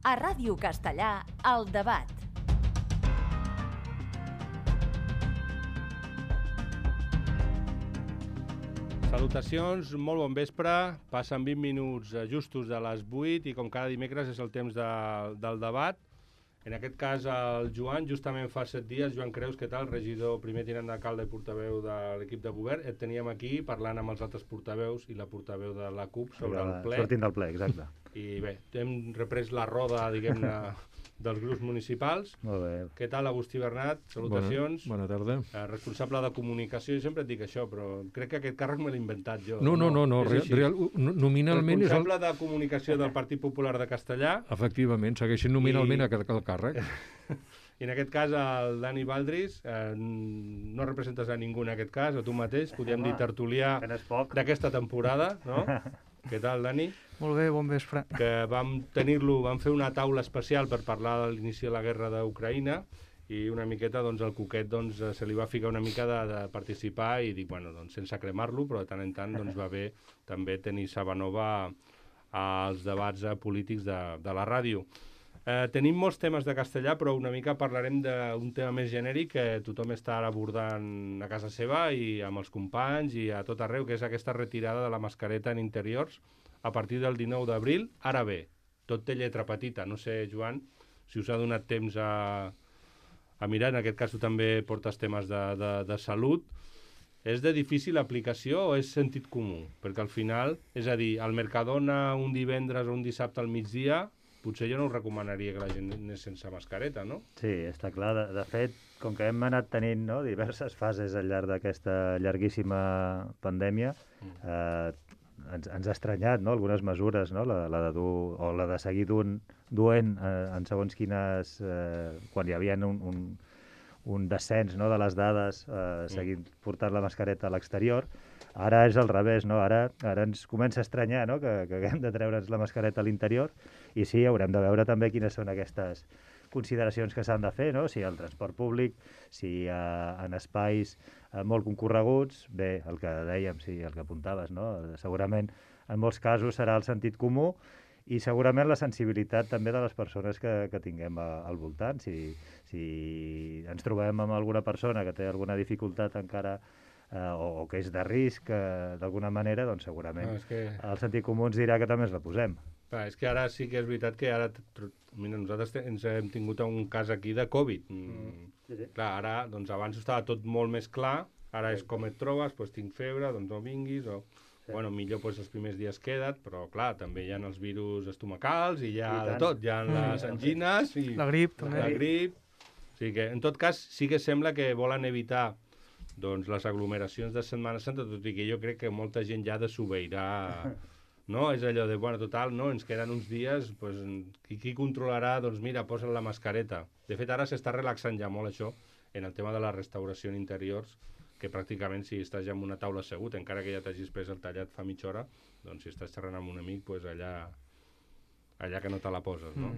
A Ràdio Castellà, El Debat. Salutacions, molt bon vespre. Passen 20 minuts justos de les 8 i com cada dimecres és el temps del debat. En aquest cas el Joan, justament fa 7 dies, Joan Creus, què tal? Regidor, primer tinent d'alcalde i portaveu de l'equip de govern. Et teníem aquí parlant amb els altres portaveus i la portaveu de la CUP sobre el ple. Sortint del ple, exacte. I bé, hem reprès la roda, diguem-ne, dels grups municipals. Molt bé. Què tal, Agustí Bernat? Salutacions. Bona tarda. Responsable de comunicació, jo sempre et dic això, però crec que aquest càrrec me l'he inventat jo. No, nominalment és el... Responsable de comunicació del Partit Popular de Castellà. Efectivament, segueixen nominalment el càrrec. I en aquest cas el Dani Baldris, no representes a ningú en aquest cas, a tu mateix, podríem dir tertulià d'aquesta temporada, no? Què tal, Dani? Molt bé, bon vespre. Que vam fer una taula especial per parlar de l'inici de la guerra d'Ucraïna i una miqueta, doncs, el Cuquet, doncs, se li va ficar una mica de participar i dic, bueno, doncs, sense cremar-lo, però de tant en tant, doncs, va bé també tenir Sabanova als debats polítics de la ràdio. Tenim molts temes de castellà, però una mica parlarem d'un tema més genèric que tothom està ara abordant a casa seva i amb els companys i a tot arreu, que és aquesta retirada de la mascareta en interiors a partir del 19 d'abril. Ara bé, tot té lletra petita. No sé, Joan, si us ha donat temps a mirar. En aquest cas tu també portes temes de salut. És de difícil aplicació o és sentit comú? Perquè al final, és a dir, al Mercadona un divendres o un dissabte al migdia, potser jo no us recomanaria que la gent anés sense mascareta, no? Sí, està clar. De fet, com que hem anat tenint, no, diverses fases al llarg d'aquesta llarguíssima pandèmia, ens ha estranyat, no, algunes mesures, no, la de dur o la de seguir duent en segons quines... quan hi havia un descens, no, de les dades, seguint portant la mascareta a l'exterior. Ara és al revés, no? Ara ens comença a estranyar, no, que haguem de treure'ns la mascareta a l'interior i sí, haurem de veure també quines són aquestes consideracions que s'han de fer, no? Si el transport públic, si en espais molt concorreguts, bé, el que dèiem, sí, el que apuntaves, no? Segurament en molts casos serà el sentit comú i segurament la sensibilitat també de les persones que tinguem al voltant. Si ens trobem amb alguna persona que té alguna dificultat encara o que és de risc d'alguna manera, doncs segurament el sentit comú ens dirà que també ens la posem. Clar, és que ara sí que és veritat que ara mira, nosaltres ens hem tingut un cas aquí de Covid. Sí. Clar, ara, doncs abans estava tot molt més clar, ara és com et trobes, doncs tinc febre, doncs no vinguis, o... Sí. Bueno, millor doncs, els primers dies queda't, però clar, també hi ha els virus estomacals i hi ha de tot, hi ha les angines i la grip també. La grip. O sigui que, en tot cas, sí que sembla que volen evitar doncs, les aglomeracions de Setmana Santa, tot i que jo crec que molta gent ja desobeirà, no? És allò de, bueno, total, no, ens queden uns dies, doncs, qui controlarà? Doncs mira, posa'n la mascareta. De fet, ara s'està relaxant ja molt això en el tema de la restauració en interiors, que pràcticament si estàs ja en una taula assegut, encara que ja t'hagis pres el tallat fa mitja hora, doncs si estàs xerrant amb un amic, doncs allà que no te la poses, no?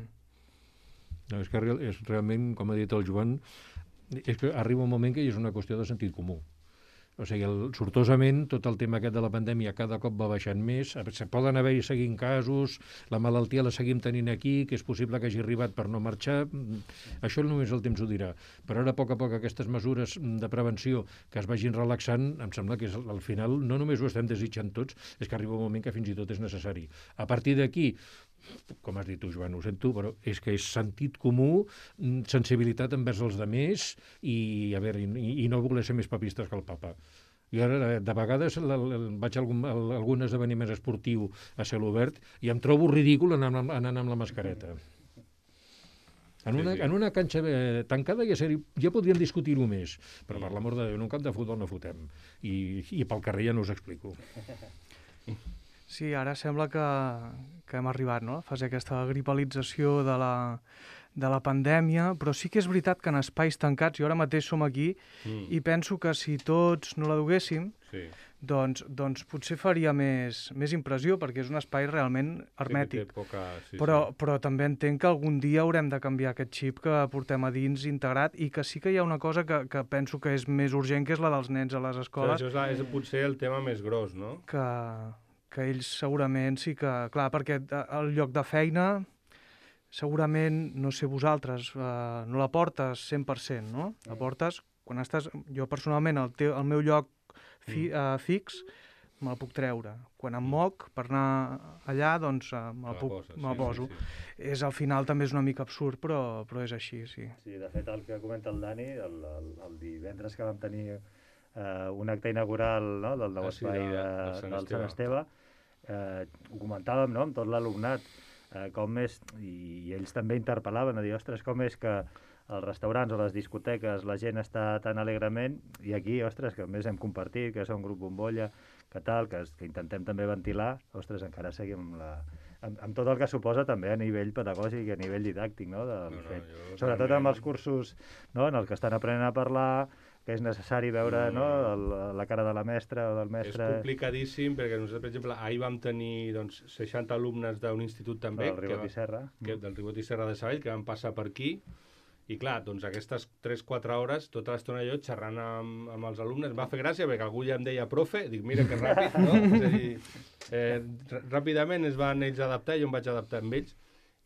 No, és que és realment, com ha dit el Joan, és que arriba un moment que és una qüestió de sentit comú. O sigui, sortosament, tot el tema aquest de la pandèmia cada cop va baixant més, poden haver-hi seguint casos, la malaltia la seguim tenint aquí, que és possible que hagi arribat per no marxar, això només el temps ho dirà. Però ara, a poc aquestes mesures de prevenció que es vagin relaxant, em sembla que al final no només ho estem desitjant tots, és que arriba un moment que fins i tot és necessari. A partir d'aquí, com has dit tu, Joan, ho sento, però és que és sentit comú, sensibilitat envers els demés i no voler ser més papistes que el papa. Jo ara, de vegades, vaig a algun esdeveniment esportiu a cel obert i em trobo ridícul anant amb la mascareta. En una canxa tancada ja podríem discutir-ho més, però per l'amor de Déu, en un camp de futbol no fotem. I pel carrer ja no us explico. Sí, ara sembla que hem arribat, no?, a la fase aquesta gripalització de la pandèmia, però sí que és veritat que en espais tancats, jo ara mateix som aquí, i penso que si tots no la duguéssim, doncs potser faria més impressió, perquè és un espai realment hermètic. Però també entenc que algun dia haurem de canviar aquest xip que portem a dins integrat i que sí que hi ha una cosa que penso que és més urgent, que és la dels nens a les escoles. Això és potser el tema més gros, no? Que ells segurament sí que... Clar, perquè el lloc de feina segurament, no sé vosaltres, no la portes 100%, no? La portes, quan estàs... Jo personalment, el meu lloc fix, me la puc treure. Quan em moc, per anar allà, doncs me la poso. És, al final també és una mica absurd, però és així, sí. Sí, de fet, el que comenta el Dani, el divendres que vam tenir un acte inaugural, no?, del nou espai del Sant Esteve, ho comentàvem, no?, amb tot l'alumnat, com és, i ells també interpel·laven, a dir, ostres, com és que als restaurants o les discoteques la gent està tan alegrement, i aquí, ostres, que a més hem compartit, que som un grup bombolla, que tal, que intentem també ventilar, ostres, encara seguim amb tot el que suposa també a nivell pedagògic i a nivell didàctic, no?, sobretot amb els cursos, no?, en els que estan aprenent a parlar, que és necessari veure la cara de la mestra o del mestre... És complicadíssim, perquè nosaltres, per exemple, ahir vam tenir 60 alumnes d'un institut també... Del Ribot i Serra. Del Ribot i Serra de Sabadell, que van passar per aquí, i clar, doncs aquestes 3-4 hores, tota l'estona jo xerrant amb els alumnes, em va fer gràcia, perquè algú ja em deia profe, dic, mira que ràpid, no? És a dir, ràpidament es van ells adaptar, jo em vaig adaptar amb ells,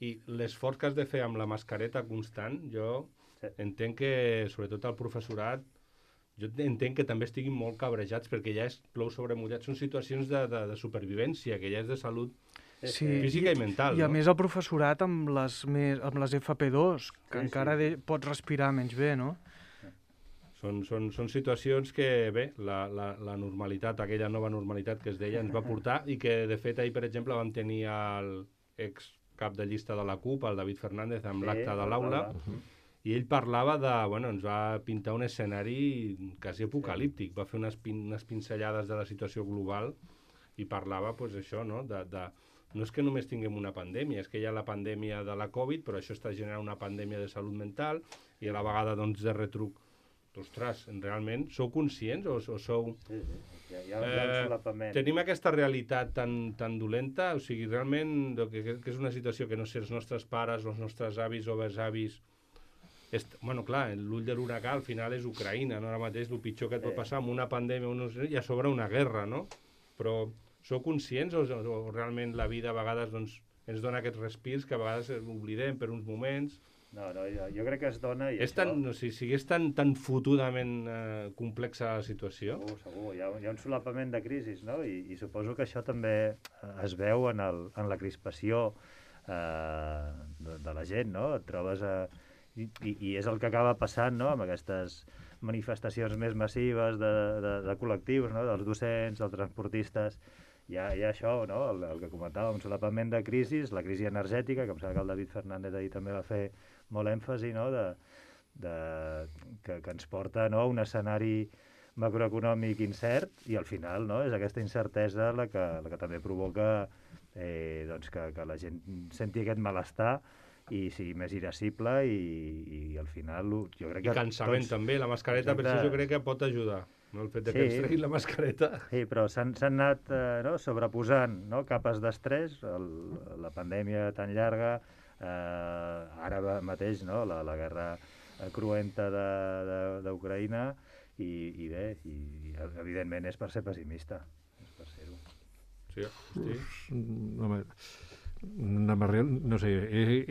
i l'esforç que has de fer amb la mascareta constant, jo entenc que, sobretot el professorat, jo entenc que també estiguin molt cabrejats perquè ja és plou sobre mullat. Són situacions de supervivència, que ja és de salut física i mental. I a més el professorat amb les FP2, que encara pots respirar menys bé, no? Són situacions que, bé, la normalitat, aquella nova normalitat que es deia, ens va portar i que, de fet, ahir, per exemple, vam tenir l'ex cap de llista de la CUP, el David Fernández, amb l'acte de l'aula, i ell parlava ens va pintar un escenari quasi apocalíptic, va fer unes pinzellades de la situació global i parlava, doncs, això, no?, no és que només tinguem una pandèmia, és que hi ha la pandèmia de la Covid, però això està generant una pandèmia de salut mental i a la vegada, doncs, de retruc. Ostres, realment, sou conscients o sou... Hi ha un solapament. Tenim aquesta realitat tan dolenta, o sigui, realment, que és una situació que no sé, els nostres pares, els nostres avis o besavis... Bueno, clar, l'ull de l'huracà al final és Ucraïna, no? Ara mateix el pitjor que et pot passar amb una pandèmia i a sobre una guerra, no? Però sou conscients o realment la vida a vegades ens dona aquests respirs que a vegades oblidem per uns moments? No, jo crec que es dona... És tan fotudament complexa la situació? Segur. Hi ha un solapament de crisis, no? I suposo que això també es veu en la crispació de la gent, no? Et trobes i és el que acaba passant, no?, amb aquestes manifestacions més massives de col·lectius, no?, dels docents, dels transportistes. Hi ha això, no?, el que comentàvem, un solapament de crisis, la crisi energètica, que em sembla que el David Fernández ahir també va fer molt èmfasi, no?, que ens porta, no?, a un escenari macroeconòmic incert, i al final, no?, és aquesta incertesa la que també provoca que la gent senti aquest malestar i sigui més irascible i al final jo crec que... I cansament també, la mascareta, per això jo crec que pot ajudar, no? El fet que ens treguin la mascareta. Sí, però s'han anat sobreposant, no?, capes d'estrès, la pandèmia tan llarga, ara mateix, no?, la guerra cruenta d'Ucraïna i bé, evidentment és per ser pessimista, és per ser-ho. Sí, hosti. Home, no sé,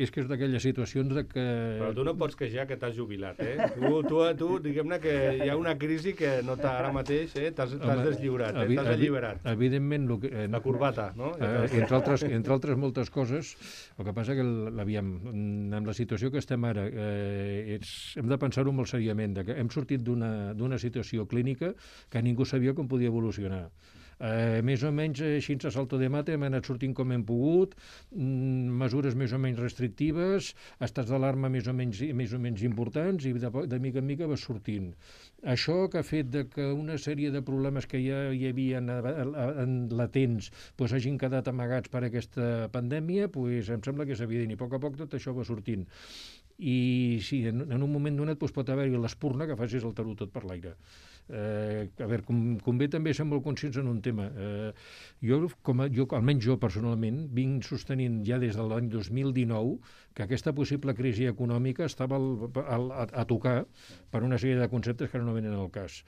és que és d'aquelles situacions de que... Però tu no pots queixar que t'has jubilat, eh? Tu diguem-ne que hi ha una crisi que no ara mateix t'has deslliurat, t'has alliberat. Evidentment... La corbata, no? Entre altres moltes coses, el que passa que, amb la situació que estem ara, hem de pensar-ho molt seriament, que hem sortit d'una situació clínica que ningú sabia com podia evolucionar. Més o menys així a salto de mate hem anat sortint com hem pogut, mesures més o menys restrictives, estats d'alarma més o menys importants i de mica en mica va sortint. Això que ha fet que una sèrie de problemes que ja hi havia latents hagin quedat amagats per aquesta pandèmia, em sembla que és evident, i a poc tot això va sortint. I sí, en un moment donat pot haver-hi l'espurna que facis el tarot tot per l'aire. A veure, convé també ser molt conscients en un tema. Almenys jo personalment, vinc sostenint ja des de l'any 2019 que aquesta possible crisi econòmica estava a tocar per una sèrie de conceptes que ara no venen al cas.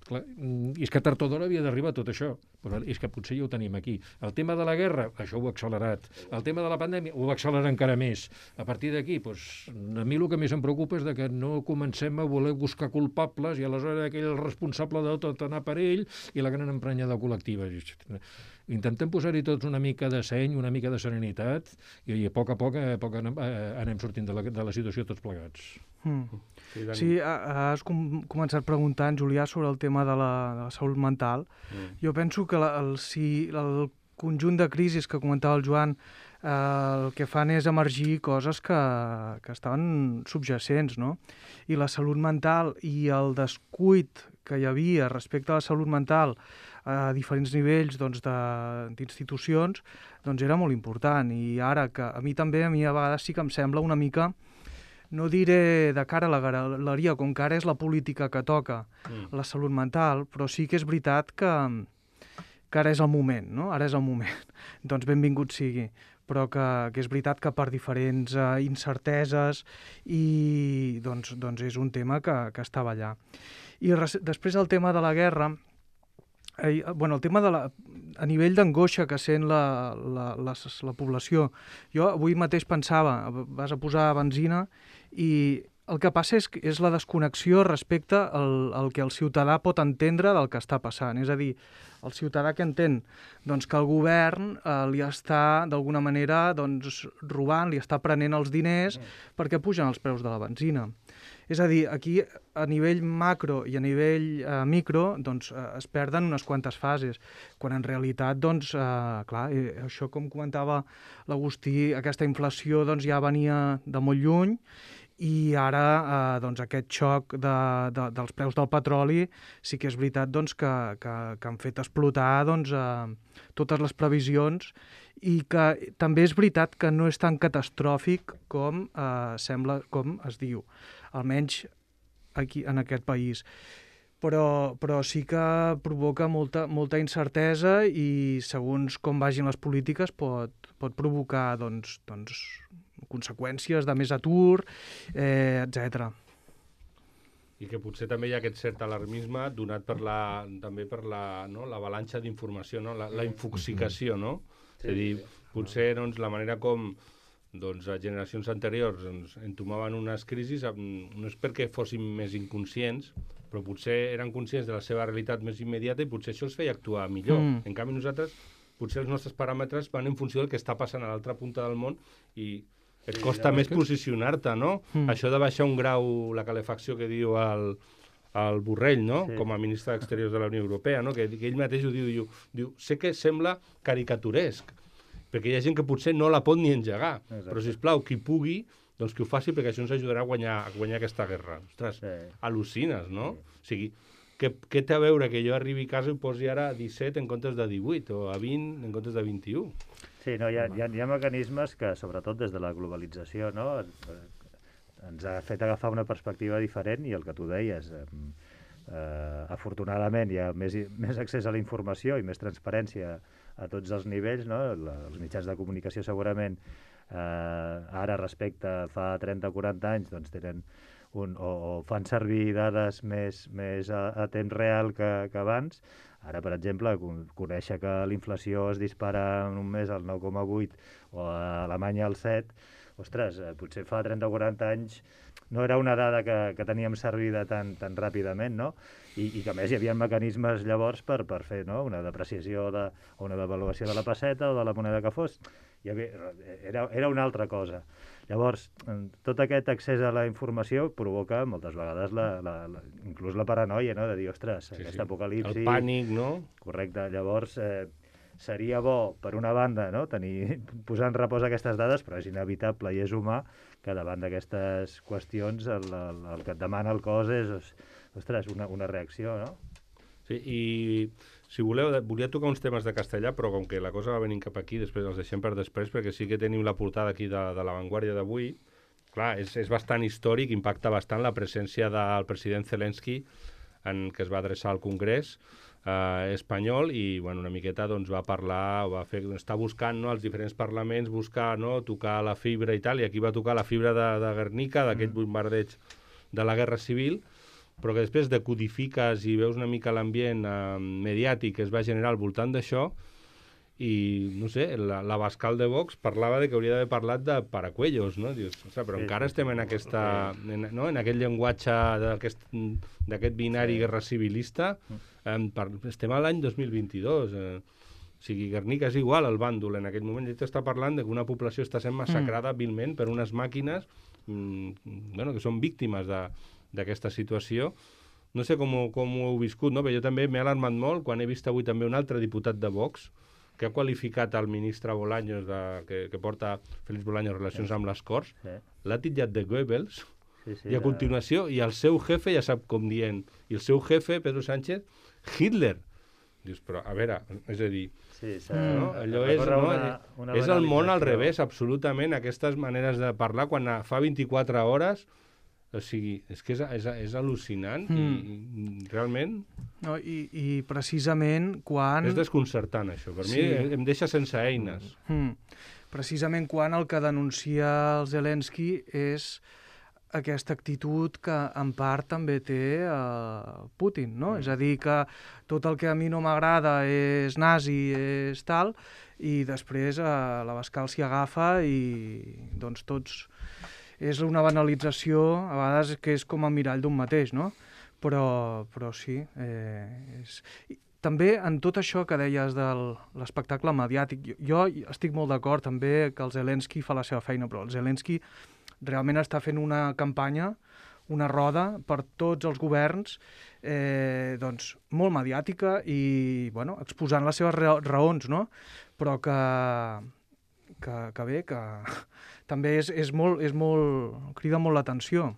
Clar, i és que tard o d'hora havia d'arribar tot això, Però és que potser ja ho tenim aquí. El tema de la guerra, això ho ha accelerat. El tema de la pandèmia ho va accelerar encara més. A partir d'aquí, doncs, a mi el que més em preocupa és que no comencem a voler buscar culpables i aleshores aquell responsable de tot anar per ell i la gran emprenyada col·lectiva. Intentem posar-hi tots una mica de seny, una mica de serenitat i a poc anem sortint de la situació tots plegats. Sí, has començat preguntant, Julià, sobre el tema de la salut mental. Jo penso que el conjunt de crisis que comentava el Joan el que fan és emergir coses que estaven subjacents, no? I la salut mental i el descuit que hi havia respecte a la salut mental a diferents nivells d'institucions, era molt important. I ara, que a mi a vegades sí que em sembla una mica, no diré de cara a la galeria, com que ara és la política que toca la salut mental, però sí que és veritat que ara és el moment, no? Ara és el moment. Doncs benvingut sigui. Però que és veritat que per diferents incerteses i doncs és un tema que estava allà. I després el tema de la guerra, el tema a nivell d'angoixa que sent la població. Jo avui mateix pensava, vas a posar benzina i el que passa és la desconnexió respecte al que el ciutadà pot entendre del que està passant. És a dir, el ciutadà que entén que el govern li està, d'alguna manera, robant, li està prenent els diners perquè pugen els preus de la benzina. És a dir, aquí a nivell macro i a nivell micro es perden unes quantes fases, quan en realitat, clar, això com comentava l'Agustí, aquesta inflació ja venia de molt lluny i ara aquest xoc dels preus del petroli sí que és veritat que han fet explotar totes les previsions i que també és veritat que no és tan catastròfic com sembla, com es diu, almenys aquí en aquest país. Però sí que provoca molta incertesa i segons com vagin les polítiques pot provocar conseqüències de més atur, etc. I que potser també hi ha aquest cert alarmisme donat també per l'avalanxa d'informació, no? La infoxicació, no? És a dir, potser la manera com a generacions anteriors entomaven unes crisis no és perquè fossin més inconscients, però potser eren conscients de la seva realitat més immediata i potser això els feia actuar millor. En canvi, nosaltres, potser els nostres paràmetres van en funció del que està passant a l'altra punta del món i et costa més posicionar-te, no? Això de baixar un grau, la calefacció que diu el Borrell, no? Com a ministre d'Exteriors de la Unió Europea, no? Que ell mateix ho diu, sé que sembla caricaturesc, perquè hi ha gent que potser no la pot ni engegar. Exacte. Però, sisplau, qui pugui, doncs que ho faci, perquè això ens ajudarà a guanyar aquesta guerra. Ostres, al·lucines, no? O sigui, què té a veure que jo arribi a casa i posi ara 17 en comptes de 18 o a 20 en comptes de 21? Sí, no, hi ha mecanismes que, sobretot des de la globalització, no, ens ha fet agafar una perspectiva diferent i el que tu deies, afortunadament hi ha més accés a la informació i més transparència a tots els nivells, no? Els mitjans de comunicació segurament ara respecte a fa 30 o 40 anys doncs tenen o fan servir dades més a temps real que abans. Ara, per exemple, conèixer que la inflació es dispara en un mes al 9,8 o a Alemanya al 7, ostres, potser fa 30 o 40 anys no era una dada que teníem servida tan ràpidament, no? I que a més hi havia mecanismes llavors per fer una depreciació o una devaluació de la pesseta o de la moneda que fos. Era una altra cosa. Llavors, tot aquest accés a la informació provoca moltes vegades inclús la paranoia, no? De dir, ostres, aquesta apocalipsi... El pànic, no? Correcte. Llavors, seria bo, per una banda, no? Posar en repòs aquestes dades, però és inevitable i és humà que davant d'aquestes qüestions el que et demana el cos és, ostres, una reacció, no? Sí, i si voleu, volia tocar uns temes de castellà, però com que la cosa va venint cap aquí, després els deixem per després, perquè sí que tenim la portada aquí de La Vanguardia d'avui. Clar, és bastant històric, impacta bastant la presència del president Zelensky, que es va adreçar al Congrés espanyol i una miqueta va parlar, està buscant als diferents parlaments, tocar la fibra i tal, i aquí va tocar la fibra de Guernica, d'aquest bombardeig de la Guerra Civil, però que després decodifiques i veus una mica l'ambient mediàtic que es va generar al voltant d'això, i, no sé, l'Abascal de Vox parlava de que hauria d'haver parlat de Paracuellos, no? Dius, ostres, però encara estem en aquesta... no? En aquest llenguatge d'aquest binari guerra civilista. Estem a l'any 2022. O sigui, Guernica és igual al bàndol en aquell moment. Ell t'està parlant de que una població està sent massacrada vilment per unes màquines que són víctimes d'aquesta situació. No sé com ho heu viscut, no? Però jo també m'he alarmat molt quan he vist avui també un altre diputat de Vox que ha qualificat el ministre Bolaños, que porta Félix Bolaños relacions amb les Corts, l'ha titllat de Goebbels, i a continuació, i el seu jefe ja sap com dient, i el seu jefe, Pedro Sánchez, Hitler. Dius, però, a veure, és a dir, allò és el món al revés, absolutament, aquestes maneres de parlar, quan fa 24 hores... O sigui, és que és al·lucinant i realment... No, i precisament quan... És desconcertant, això. Per mi em deixa sense eines. Precisament quan el que denuncia el Zelensky és aquesta actitud que en part també té Putin, no? És a dir, que tot el que a mi no m'agrada és nazi, és tal, i després l'Abascal s'hi agafa i doncs tots... És una banalització, a vegades, que és com el mirall d'un mateix, no? Però sí. També en tot això que deies de l'espectacle mediàtic, jo estic molt d'acord també que el Zelensky fa la seva feina, però el Zelensky realment està fent una campanya, una roda per tots els governs, doncs, molt mediàtica i, bueno, exposant les seves raons, no? Però que bé, que també és molt, crida molt l'atenció.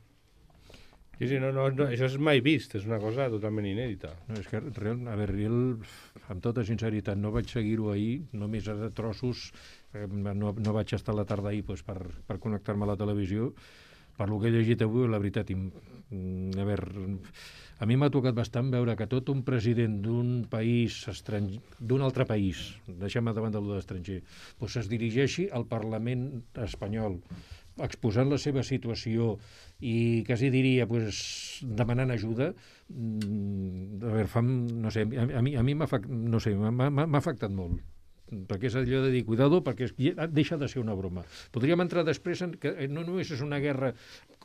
Sí, no, això és mai vist, és una cosa totalment inèdita. No, és que, amb tota sinceritat, no vaig seguir-ho ahir, només a trossos, no vaig estar a la tarda ahir per connectar-me a la televisió, per lo que he llegit avui, la veritat, a mi m'ha tocat bastant veure que tot un president d'un país estranger, d'un altre país, deixem davant de l'estranger, doncs es dirigeixi al Parlament espanyol, exposant la seva situació i quasi diria demanant ajuda, no sé, a mi m'ha afectat molt. Perquè és allò de dir, cuidado, perquè deixa de ser una broma. Podríem entrar després que no només és una guerra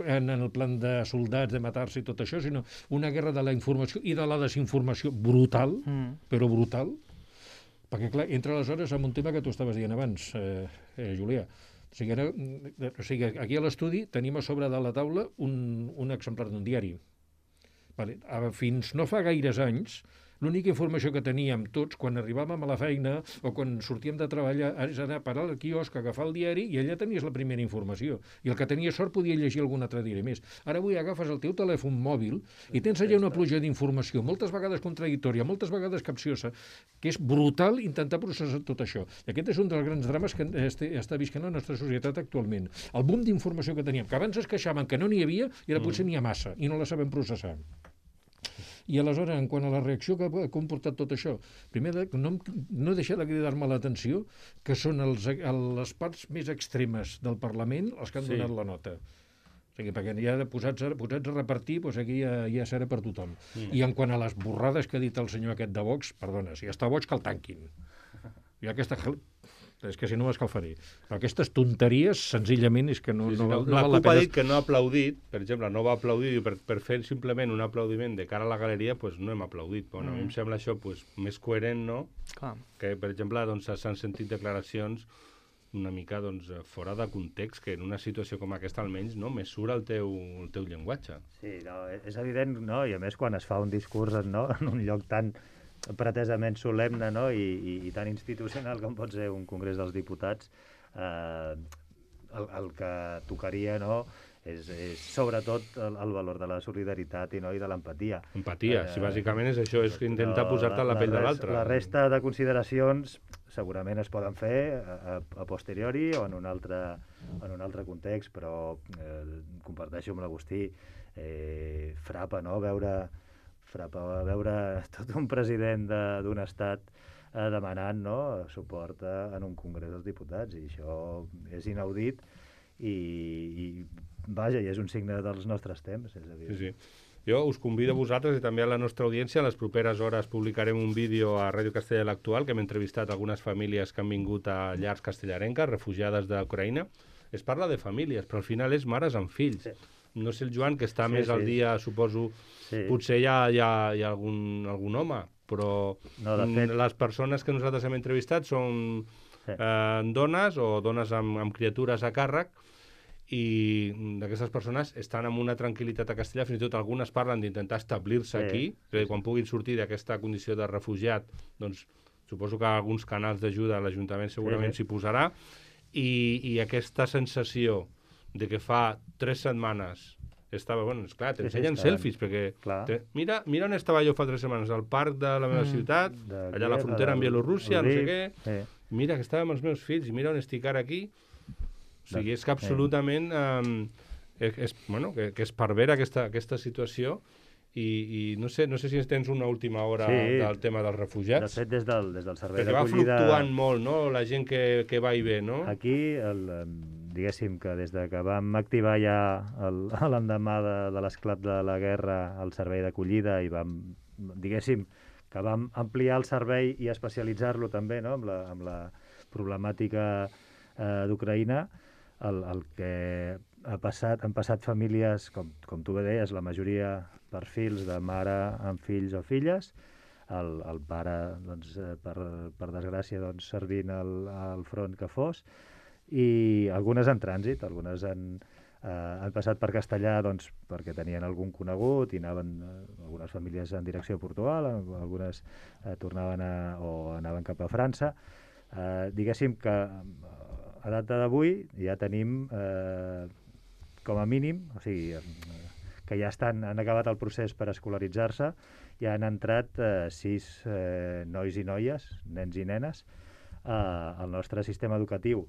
en el plan de soldats, de matar-se i tot això, sinó una guerra de la informació i de la desinformació brutal, però brutal, perquè clar, entra aleshores en un tema que tu estaves dient abans, Julià. O sigui, aquí a l'estudi tenim a sobre de la taula un exemplar d'un diari. Fins no fa gaires anys, l'única informació que teníem tots quan arribàvem a la feina o quan sortíem de treballar és anar a parar al quiosc, agafar el diari i allà tenies la primera informació. I el que tenia sort podia llegir algun altre diari més. Ara avui agafes el teu telèfon mòbil i tens allà una pluja d'informació, moltes vegades contradictòria, moltes vegades capciosa, que és brutal intentar processar tot això. I aquest és un dels grans drames que està visquent la nostra societat actualment. El boom d'informació que teníem, que abans es queixaven que no n'hi havia i ara potser n'hi ha massa i no la sabem processar. I aleshores, en quant a la reacció que ha comportat tot això, primer no deixa de cridar-me l'atenció que són les parts més extremes del Parlament els que han donat la nota. O sigui, perquè ja posats a repartir, doncs aquí ja serà per tothom. I en quant a les borrades que ha dit el senyor aquest de Vox, perdona, si està boig que el tanquin. I aquesta... És que si no m'escalfaré. Però aquestes tonteries, senzillament, és que no val la pena. La CUP ha dit que no ha aplaudit, per exemple, no va aplaudir, i per fer simplement un aplaudiment de cara a la galeria, doncs no hem aplaudit. Bueno, a mi em sembla això més coherent, no? Clar. Que, per exemple, s'han sentit declaracions una mica fora de context, que en una situació com aquesta, almenys, no mesura el teu llenguatge. Sí, no, és evident, no? I a més, quan es fa un discurs en un lloc tan pretesament solemne, no? I tan institucional com pot ser un Congrés dels Diputats, el que tocaria, no?, és sobretot el valor de la solidaritat i de l'empatia. Empatia, si bàsicament és això, és intentar posar-te a la pell de l'altre. La resta de consideracions segurament es poden fer a posteriori o en un altre context, però comparteixo amb l'Agustí, frapa, no?, veure tot un president d'un estat demanant, no?, suport en un Congrés dels Diputats, i això és inaudit i vaja, i és un signe dels nostres temps, és a dir. Sí. Jo us convido a vosaltres i també a la nostra audiència. A les properes hores publicarem un vídeo a Ràdio Castella l'Actual, que hem entrevistat algunes famílies que han vingut a llars castellarenques, refugiades d'Ucraïna. Es parla de famílies, però al final és mares amb fills. Sí. No sé el Joan, que està més al dia, suposo, potser hi ha algun home, però no, de fet... les persones que nosaltres hem entrevistat són dones o dones amb criatures a càrrec, i d'aquestes persones estan amb una tranquil·litat a Castellà, fins i tot algunes parlen d'intentar establir-se aquí, quan puguin sortir d'aquesta condició de refugiat, doncs suposo que alguns canals d'ajuda a l'Ajuntament segurament s'hi posarà, i aquesta sensació de que fa 3 setmanes estava, bueno, esclar, t'ensenyen selfies, perquè mira on estava jo fa 3 setmanes, al parc de la meva ciutat, allà a la frontera amb Bielorússia, no sé què, mira que estava amb els meus fills, i mira on estic ara aquí. O sigui, és que absolutament que es pervera aquesta situació, i no sé si tens una última hora del tema dels refugiats. De fet, des del servei d'acollida... Perquè va fluctuant molt, no?, la gent que va i ve, no? Aquí, diguéssim que des de que vam activar ja l'endemà de l'esclat de la guerra el servei d'acollida i diguéssim que vam ampliar el servei i especialitzar-lo també, no?, amb la problemàtica d'Ucraïna, el que han passat famílies, com tu bé deies, la majoria perfils de mare amb fills o filles, el pare, doncs, per desgràcia, doncs, servint al front que fos, i algunes en trànsit, algunes han passat per Castellà doncs, perquè tenien algun conegut i anaven, algunes famílies en direcció a Portugal, algunes tornaven o anaven cap a França. Diguéssim que a data d'avui ja tenim com a mínim, o sigui, que ja han acabat el procés per escolaritzar-se, ja han entrat 6 nois i noies, nens i nenes, al nostre sistema educatiu,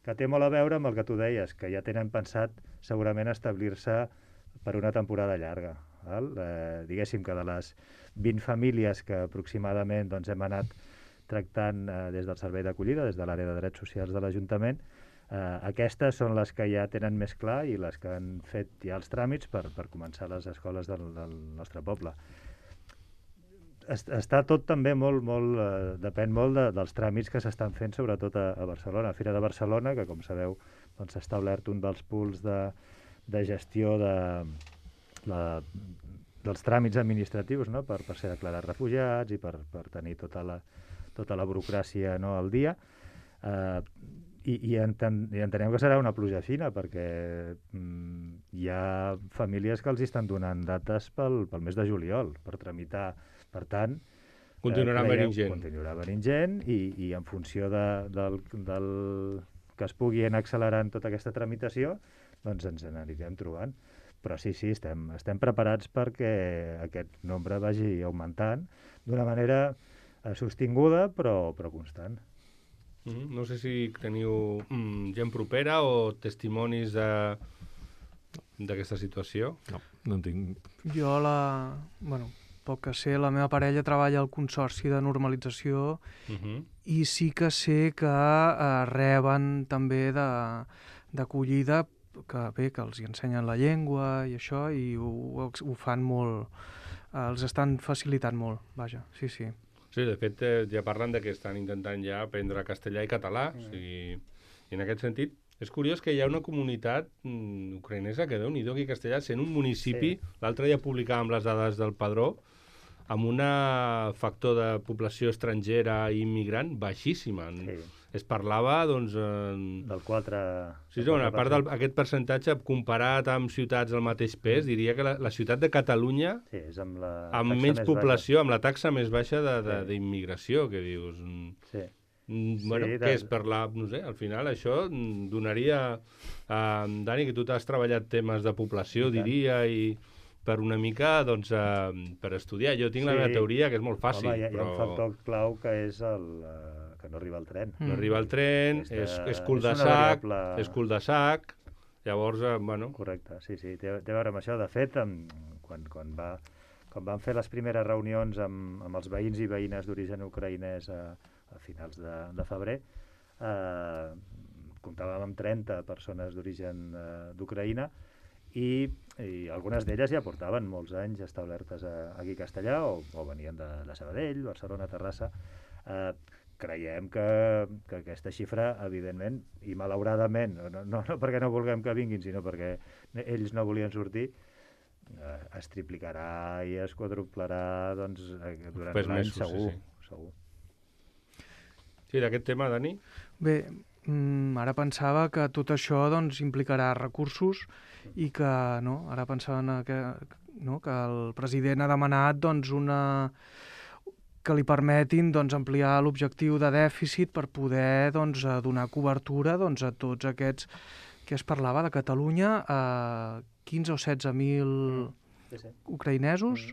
que té molt a veure amb el que tu deies, que ja tenen pensat segurament establir-se per una temporada llarga. Diguéssim que de les 20 famílies que aproximadament hem anat tractant des del servei d'acollida, des de l'àrea de drets socials de l'Ajuntament, aquestes són les que ja tenen més clar i les que han fet ja els tràmits per començar les escoles del nostre poble. Està tot també depèn molt dels tràmits que s'estan fent, sobretot a Barcelona. A Fira de Barcelona, que com sabeu s'ha establert un dels pools de gestió dels tràmits administratius, no?, per ser declarats refugiats i per tenir tota la burocràcia, no?, al dia. I entenem que serà una pluja fina, perquè hi ha famílies que els estan donant dates pel mes de juliol per tramitar. Per tant, continuarà venint gent i en funció del que es pugui anar accelerant tota aquesta tramitació, doncs ens n'anirem trobant. Però sí, estem preparats perquè aquest nombre vagi augmentant d'una manera sostinguda però constant. No sé si teniu gent propera o testimonis d'aquesta situació. No en tinc. Jo poc que sé, la meva parella treballa al Consorci de Normalització i sí que sé que reben també d'acollida, que els hi ensenyen la llengua i això, i ho fan molt, els estan facilitant molt, vaja, sí. Sí, de fet, ja parlen que estan intentant ja aprendre castellà i català, i en aquest sentit és curiós que hi ha una comunitat ucraïnesa que Déu-n'hi-do aquí a Castellà, sent un municipi, l'altre dia publicàvem les dades del Padró, amb un factor de població estrangera i immigrant baixíssima. Es parlava, doncs... Del 4... Sí, a part d'aquest percentatge, comparat amb ciutats del mateix pes, diria que la ciutat de Catalunya, amb menys població, amb la taxa més baixa d'immigració, que dius... Què és per no sé, al final això donaria... Dani, que tu t'has treballat temes de població, diria, i per una mica, doncs, per estudiar. Jo tinc la meva teoria, que és molt fàcil. Home, hi ha un factor clau que és que no arriba el tren. No arriba el tren, és cul de sac, llavors, bueno... Correcte, sí, té a veure amb això. De fet, quan vam fer les primeres reunions amb els veïns i veïnes d'origen ucraïnès a finals de febrer, comptàvem amb 30 persones d'origen d'Ucraïna, i i algunes d'elles ja portaven molts anys establertes aquí a Castellà o venien de Sabadell, Barcelona, Terrassa. Creiem que aquesta xifra, evidentment, i malauradament, no perquè no vulguem que vinguin, sinó perquè ells no volien sortir, es triplicarà i es quadruplarà durant l'any, segur. Sí, d'aquest tema, Dani? Bé, ara pensava que tot això implicarà recursos i que, ara pensava que el president ha demanat que li permetin ampliar l'objectiu de dèficit per poder donar cobertura a tots aquests que es parlava de Catalunya, 15 o 16.000 ucraïnesos.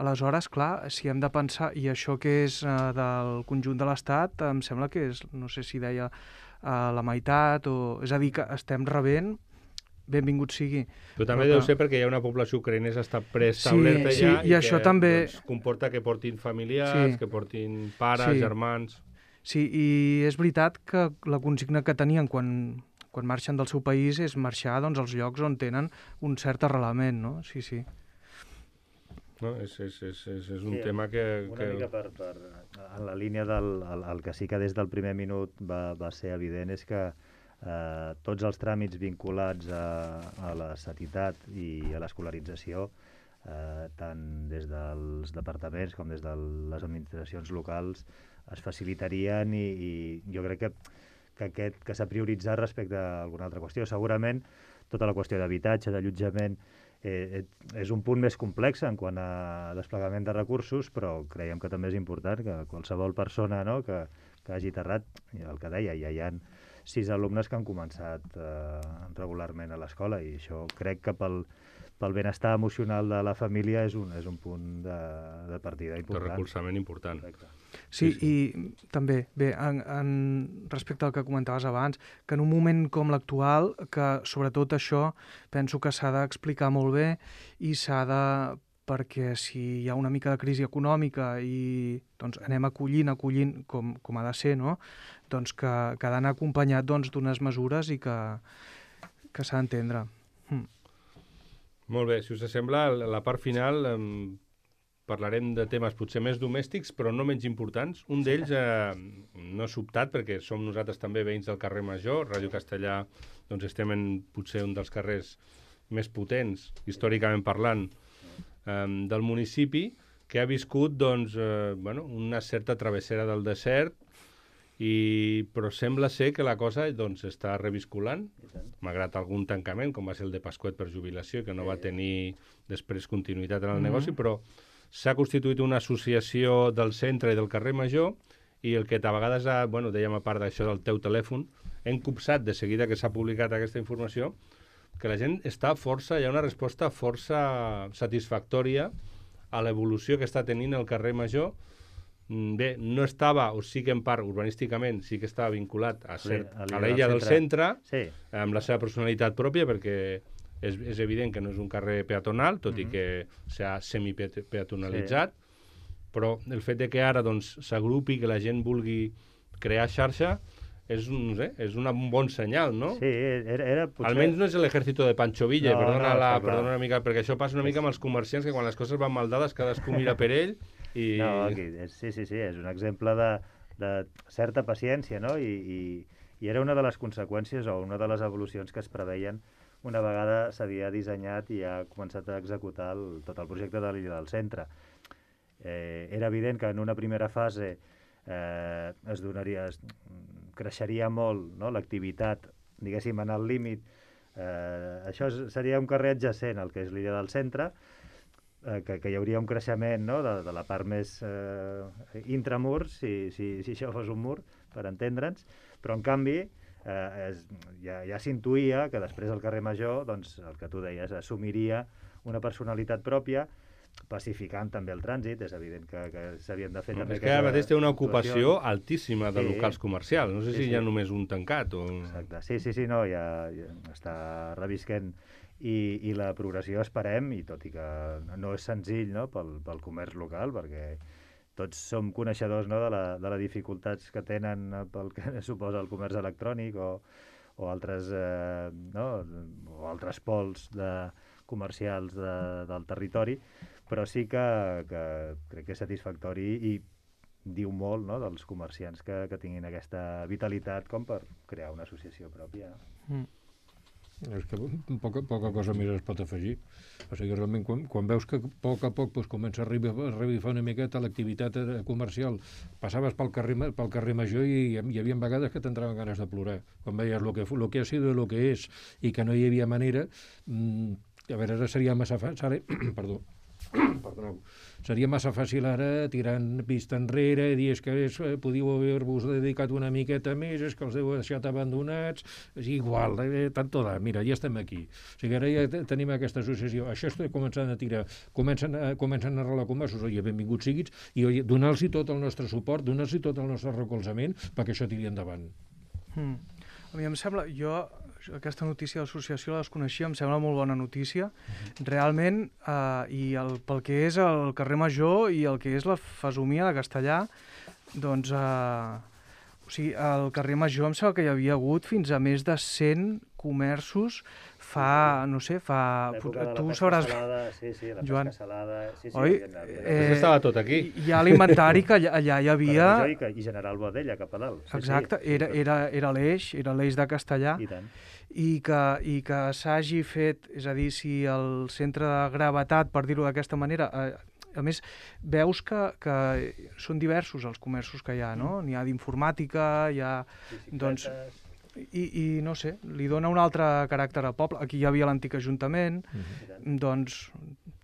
Aleshores, clar, si hem de pensar, i això que és del conjunt de l'Estat, em sembla que és, no sé si deia, la meitat, és a dir, que estem rebent, benvingut sigui. Però també deu ser perquè hi ha una població ucraïnesa que està preestablerta ja i això també comporta que portin familiars, que portin pares, germans... Sí, i és veritat que la consigna que tenien quan marxen del seu país és marxar als llocs on tenen un cert arrelament, no? Sí. No, és un tema que... Una mica en la línia el que sí que des del primer minut va ser evident és que tots els tràmits vinculats a la sanitat i a l'escolarització, tant des dels departaments com des de les administracions locals, es facilitarien i jo crec que s'ha prioritzat respecte a alguna altra qüestió. Segurament tota la qüestió d'habitatge, d'allotjament, és un punt més complex en quant a desplegament de recursos, però creiem que també és important que qualsevol persona que hagi aterrat, el que deia, ja hi ha 6 alumnes que han començat regularment a l'escola i això crec que pel benestar emocional de la família és un punt de partida important. De recolzament important. Correcte. Sí, i també, bé, respecte al que comentaves abans, que en un moment com l'actual, que sobretot això penso que s'ha d'explicar molt bé i perquè si hi ha una mica de crisi econòmica i anem acollint com ha de ser, no? Que ha d'anar acompanyat d'unes mesures i que s'ha d'entendre. Molt bé, si us sembla, a la part final parlarem de temes potser més domèstics, però no menys importants. Un d'ells no és sobtat, perquè som nosaltres també veïns del carrer Major. Ràdio Castellà estem en potser un dels carrers més potents, històricament parlant, del municipi, que ha viscut una certa travessera del desert, però sembla ser que la cosa està revisculant, malgrat algun tancament, com va ser el de Pasquet per jubilació, que no va tenir després continuïtat en el negoci, però s'ha constituït una associació del centre i del carrer Major i el que a vegades, dèiem a part d'això del teu telèfon, hem copsat de seguida que s'ha publicat aquesta informació, que la gent hi ha una resposta força satisfactòria a l'evolució que està tenint el carrer Major. Bé, no estava, o sí que en part urbanísticament sí que estava vinculat a l'illa del centre, amb la seva personalitat pròpia, perquè és evident que no és un carrer peatonal, tot i que s'ha semipeatonalitzat, però el fet de que ara s'agrupi, que la gent vulgui crear xarxa, és un bon senyal, no? Sí, era potser... Almenys no és l'ejército de Pancho Villa, perdona una mica, perquè això passa una mica amb els comerciants, que quan les coses van mal dades cadascú mira per ell i... No, sí, és un exemple de certa paciència, no? I era una de les conseqüències o una de les evolucions que es preveien una vegada s'havia dissenyat i ha començat a executar tot el projecte de l'illa del centre. Era evident que en una primera fase creixeria molt, no? L'activitat, diguéssim, en el límit. Això seria un carrer adjacent al que és l'illa del centre, que hi hauria un creixement, no? de la part més intramur, si això fos un mur, per entendre'ns, però en canvi ja s'intuïa que després el carrer Major, el que tu deies, assumiria una personalitat pròpia, pacificant també el trànsit. És evident que s'havien de fer també... És que ara mateix té una ocupació altíssima de locals comercials. No sé si hi ha només un tancat o... Exacte. Sí, no, ja està revisquent i la progressió esperem, i tot i que no és senzill, no, pel comerç local, perquè tots som coneixedors, no, de les dificultats que tenen pel que suposa el comerç electrònic o o altres, o altres pols comercials del territori, però sí que crec que és satisfactori i diu molt, no?, dels comerciants que tinguin aquesta vitalitat com per crear una associació pròpia. És que poca cosa més es pot afegir. O sigui, realment, quan veus que a poc comença a revifar una miqueta l'activitat comercial, passaves pel carrer Major i hi havia vegades que t'entraven ganes de plorar. Quan veies lo que ha sido i lo que és i que no hi havia manera, a veure, ara seria massa fàcil... Perdoneu. Seria massa fàcil ara, tirant vista enrere, dir que podíeu haver-vos dedicat una miqueta més, és que els heu deixat abandonats, és igual, tanto da, mira, ja estem aquí. O sigui, ara ja tenim aquesta associació, això està començant a tirar, comencen a arreglar comerços, benvinguts siguis, i donar-los tot el nostre suport, donar-los tot el nostre recolzament perquè això tiri endavant. A mi em sembla, aquesta notícia de l'associació la desconeixia, em sembla molt bona notícia. Realment, pel que és el carrer Major i el que és la fesomia de Castellar, doncs, o sigui, al carrer Major em sembla que hi havia hagut fins a més de 100 comerços tu sabràs... Sí, la Joan. pesca salada... Sí, Oi? Estava tot aquí. Hi ha l'inventari que allà hi havia... I General Boadella, cap a dalt. Exacte, era l'eix de Castellar. I tant. I que s'hagi fet, és a dir, si el centre de gravetat, per dir-ho d'aquesta manera, a més, veus que són diversos els comerços que hi ha, no? N'hi ha d'informàtica, hi ha... Doncs, i no sé, li dona un altre caràcter al poble. Aquí hi havia l'antic Ajuntament, doncs,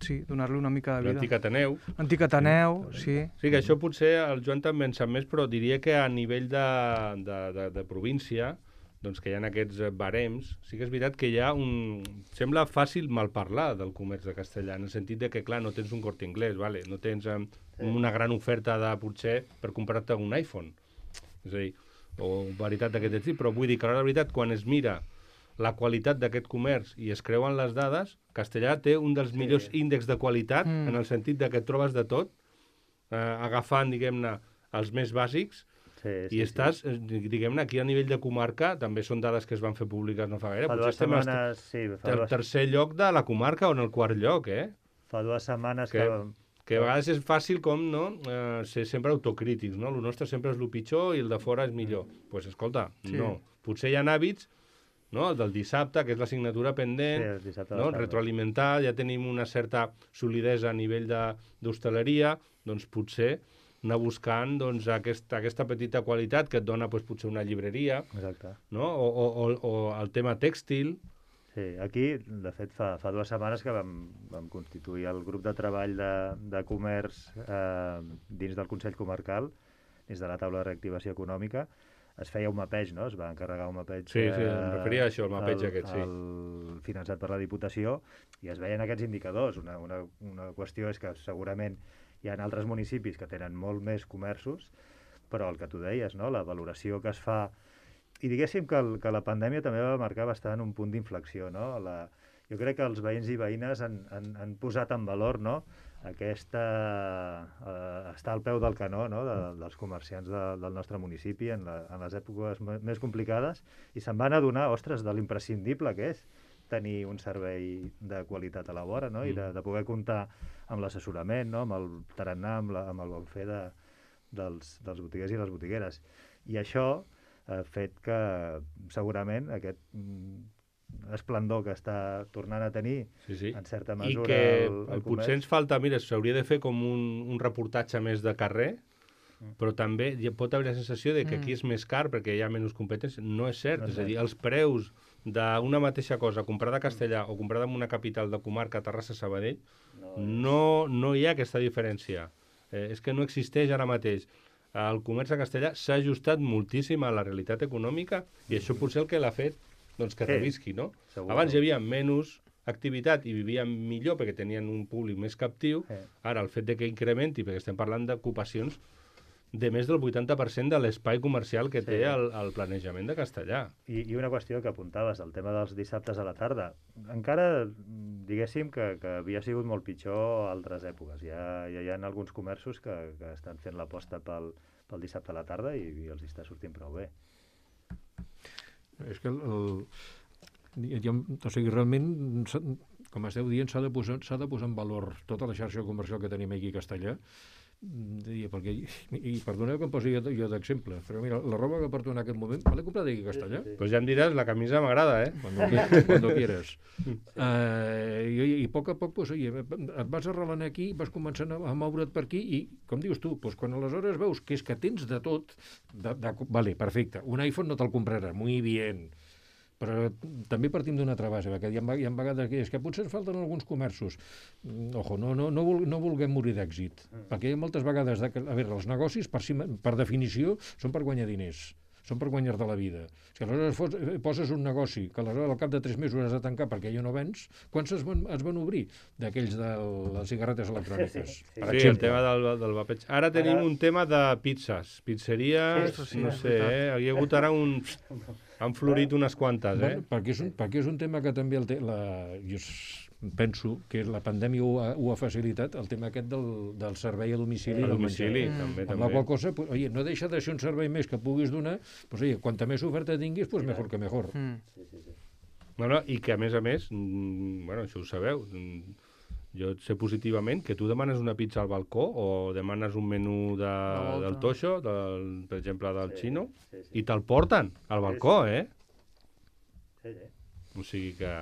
sí, donar-li una mica de vida. L'antic Ateneu. L'antic Ateneu, sí. Sí, que això potser el Joan també en sap més, però diria que a nivell de província, doncs que hi ha aquests barems, sí que és veritat que hi ha sembla fàcil malparlar del comerç de Castellar, en el sentit de que, clar, no tens un Corte Inglés, vale? No tens una gran oferta potser per comprar-te un iPhone. És a dir, o veritat d'aquest estil, però vull dir que la veritat, quan es mira la qualitat d'aquest comerç i es creuen les dades, Castellar té un dels millors índexs de qualitat, en el sentit de que et trobes de tot, agafant, diguem-ne, els més bàsics, i estàs, diguem-ne, aquí a nivell de comarca, també són dades que es van fer públiques no fa gaire, potser estem al tercer lloc de la comarca o en el quart lloc, Fa 2 setmanes que a vegades és fàcil com, no?, ser sempre autocrítics, no? El nostre sempre és el pitjor i el de fora és millor. Doncs, pues, escolta, no. Potser hi ha hàbits, no?, el del dissabte, que és l'assignatura pendent, no?, retroalimentar, ja tenim una certa solidesa a nivell d'hostaleria, doncs potser anar buscant doncs, aquesta petita qualitat que et dona doncs, potser una llibreria, no? O el tema tèxtil. Sí, aquí, de fet, fa 2 setmanes que vam constituir el grup de treball de comerç dins del Consell Comarcal, dins de la taula de reactivació econòmica. Es feia un mapeig, no? Es va encarregar un mapeig... Sí, em referia a això, el mapeig aquest, sí. Finançat per la Diputació, i es veien aquests indicadors. Una qüestió és que segurament hi ha altres municipis que tenen molt més comerços, però el que tu deies, no?, la valoració que es fa... I diguéssim que la pandèmia també va marcar bastant un punt d'inflexió, no? Jo crec que els veïns i veïnes han posat en valor, no?, estar al peu del canó, no?, dels comerciants del nostre municipi en les èpoques més complicades, i se'n van adonar, ostres, de l'imprescindible que és tenir un servei de qualitat a la vora, no?, i de poder comptar amb l'assessorament, no?, amb el tarannà, amb el bon fer dels botiguers i les botigueres. I això ha fet que segurament aquest esplendor que està tornant a tenir en certa mesura i que potser ens falta, mira, s'hauria de fer com un reportatge més de carrer, però també pot haver la sensació de que aquí és més car perquè hi ha menys competència. No és cert, és a dir, els preus d'una mateixa cosa comprada a Castellar o comprada en una capital de comarca, Terrassa, Sabadell, no hi ha aquesta diferència. És que no existeix ara mateix. El comerç a Castellar s'ha ajustat moltíssim a la realitat econòmica i això potser el que l'ha fet doncs, que revisqui, no? Abans hi havia menys activitat i vivien millor perquè tenien un públic més captiu. Ara, el fet de que incrementi, perquè estem parlant d'ocupacions de més del 80% de l'espai comercial que té el planejament de Castellar. I una qüestió que apuntaves, el tema dels dissabtes a la tarda. Encara, diguéssim, que havia sigut molt pitjor a altres èpoques. Ja hi ha alguns comerços que estan fent l'aposta pel dissabte a la tarda i els està sortint prou bé. És que o sigui, realment, com esteu dient, s'ha de posar en valor tota la xarxa comercial que tenim aquí a Castellà, perquè, i perdoneu que em posi jo d'exemple, però mira, la roba que porto en aquest moment, me l'he comprat aquí a Castellà. Pues ja em diràs, la camisa m'agrada, Cuando quieras. I a poc, pues, oye, et vas arrelant aquí, vas començant a moure't per aquí, i, com dius tu, pues, quan aleshores veus que és que tens de tot, vale, perfecte, un iPhone no te'l compraràs, muy bien, però també partim d'una altra base, perquè hi ha vegades que és que potser ens falten alguns comerços. Ojo, no vulguem morir d'èxit, perquè hi ha moltes vegades, a veure, els negocis, per definició, són per guanyar diners, són per guanyar-te la vida. Si aleshores poses un negoci que aleshores al cap de 3 mesos has de tancar perquè ja no vens, quants es van obrir d'aquells de les cigarretes electròniques? Sí, el tema del vapeig. Ara tenim un tema de pizzas, pizzeries, no sé, hi ha hagut ara han florit unes quantes, Perquè és un tema que també jo penso que la pandèmia ho ha facilitat, el tema aquest del servei a domicili. A domicili, també. Amb la qual cosa, oye, no deixa de ser un servei més que puguis donar, pues, oye, quanta més oferta tinguis, pues mejor que mejor. Bueno, i que, a més, bueno, això ho sabeu, jo sé positivament que tu demanes una pizza al balcó o demanes un menú del Toixo, per exemple, del Xino, i te'l porten al balcó, O sigui que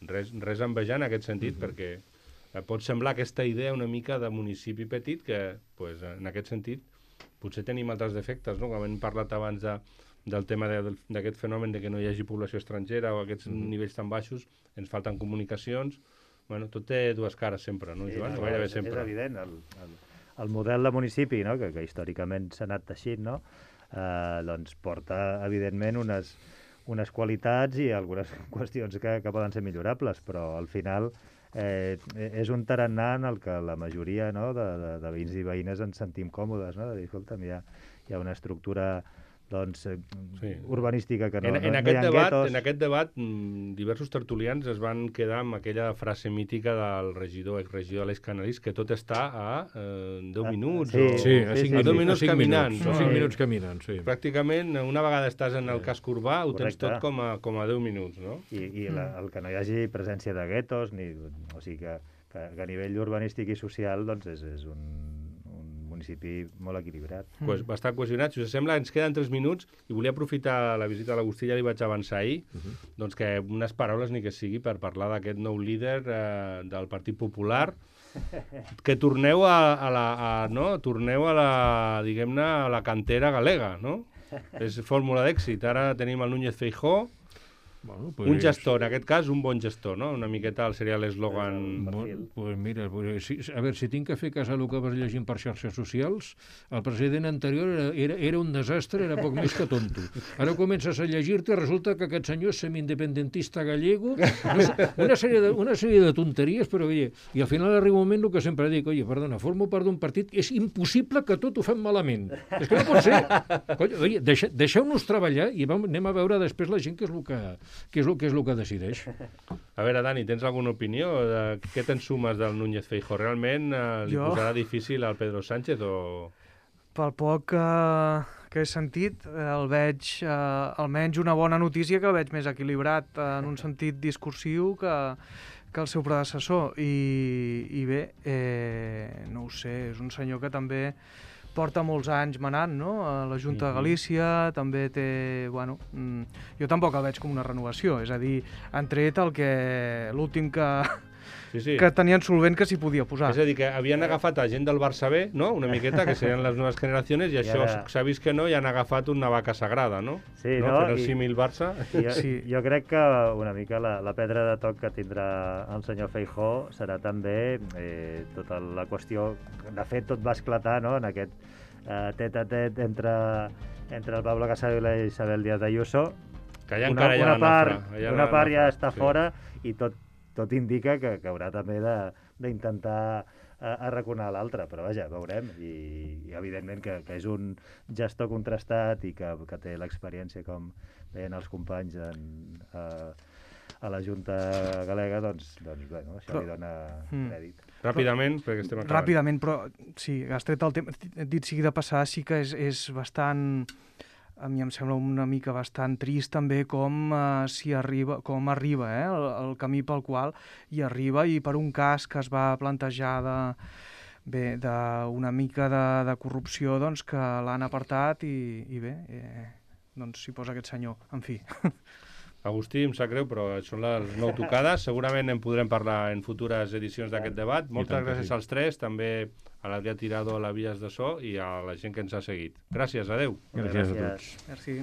res a envejar en aquest sentit, perquè pot semblar aquesta idea una mica de municipi petit que, pues, en aquest sentit, potser tenim altres defectes, no? Com hem parlat abans del tema d'aquest fenomen de que no hi hagi població estrangera o aquests nivells tan baixos, ens falten comunicacions. Bueno, tot té dues cares sempre, no, Joan? Sí, Gairebé sempre. És evident, el model de municipi, no? que històricament s'ha anat teixint, no? Doncs porta, evidentment, unes qualitats i algunes qüestions que poden ser millorables, però al final és un tarannà en el que la majoria, no, de veïns i veïnes ens sentim còmodes, no? De dir, escolta'm, hi ha una estructura urbanística que no hi ha guetos. En aquest debat, diversos tertulians es van quedar amb aquella frase mítica del exregidor Aleix Canalís, que tot està a 10 minuts. A 5 minuts caminant. A 5 minuts caminant, sí. Pràcticament, una vegada estàs en el casc urbà, ho tens tot com a 10 minuts, no? I el que no hi hagi presència de guetos, o sigui que a nivell urbanístic i social doncs és un municipi molt equilibrat. Bastant cohesionat. Si us sembla, ens queden 3 minuts i volia aprofitar la visita a l'Agustí, ja li vaig avançar ahir, doncs que unes paraules ni que sigui per parlar d'aquest nou líder del Partit Popular, que torneu a la, diguem-ne, a la cantera galega, no? És fórmula d'èxit. Ara tenim el Núñez Feijóo, un gestor, en aquest cas un bon gestor, no? Una miqueta seria l'eslògan. Pues mira, a veure, si tinc que fer cas a el que vas llegint per xarxes socials, el president anterior era un desastre, era poc més que tonto. Ara comences a llegir-te, resulta que aquest senyor és semi-independentista gallego, una sèrie de tonteries, però oye, i al final arriba un moment el que sempre dic, oye, perdona, formo part d'un partit, és impossible que tot ho fem malament. És que no pot ser. Oye, deixeu-nos treballar i anem a veure després la gent què és el que decideix. A veure, Dani, tens alguna opinió? Què te'n sumes del Núñez Feijóo? Realment li posarà difícil al Pedro Sánchez o...? Pel poc que he sentit, el veig almenys una bona notícia, que el veig més equilibrat en un sentit discursiu que el seu predecessor. I bé, no ho sé, és un senyor que també porta molts anys manant, no? A la Junta de Galícia, també té... Bueno, jo tampoc el veig com una renovació, és a dir, han tret l'últim que tenien solvent que s'hi podia posar. És a dir, que havien agafat a gent del Barça B, no?, una miqueta, que serien les noves generacions, i això s'ha vist que no, i han agafat una vaca sagrada, no? Sí, no? Per el símil Barça. Jo crec que una mica la pedra de toc que tindrà el senyor Feijóo serà també tota la qüestió... De fet, tot va esclatar, no?, en aquest tet-a-tet entre el Pablo Casado i la Isabel Díaz Ayuso. Que allà encara hi ha una part ja està fora, i tot indica que haurà també d'intentar arraconar l'altre, però vaja, veurem, i evidentment que és un gestor contrastat i que té l'experiència, com deien els companys a la Junta Galega, doncs bueno, això li dona crèdit. Ràpidament, perquè estem acabant. Ràpidament, però sí, has tret el tema, dit sigui de passar, sí que és bastant a mi em sembla una mica bastant trist també com arriba el camí pel qual hi arriba, i per un cas que es va plantejar d'una mica de corrupció, doncs que l'han apartat i bé, doncs s'hi posa aquest senyor, en fi. Agustí, em sap greu, però són les 9 tocades. Segurament en podrem parlar en futures edicions d'aquest debat. Moltes gràcies als tres, també a l'Adrià Tirado a les vies de so i a la gent que ens ha seguit. Gràcies, adeu. Gràcies a tots. Merci.